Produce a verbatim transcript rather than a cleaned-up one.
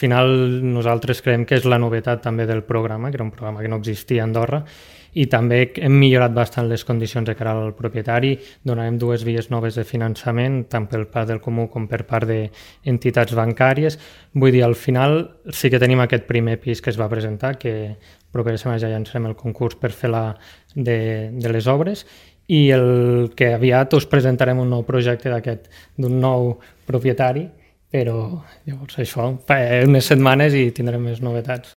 final nosaltres creiem que és la novetat també del programa, que era un programa que no existia a Andorra, i també hem millorat bastant les condicions de cara al propietari, donarem dues vies noves de finançament, tant per part del comú com per part d'entitats bancàries. Vull dir, al final sí que tenim aquest primer pis que es va presentar, que propera setmana ja llançarem el concurs per fer la de, de les obres, i el que aviat us presentarem un nou projecte d'aquest, d'un nou propietari, però llavors això, unes setmanes i tindrem més novetats.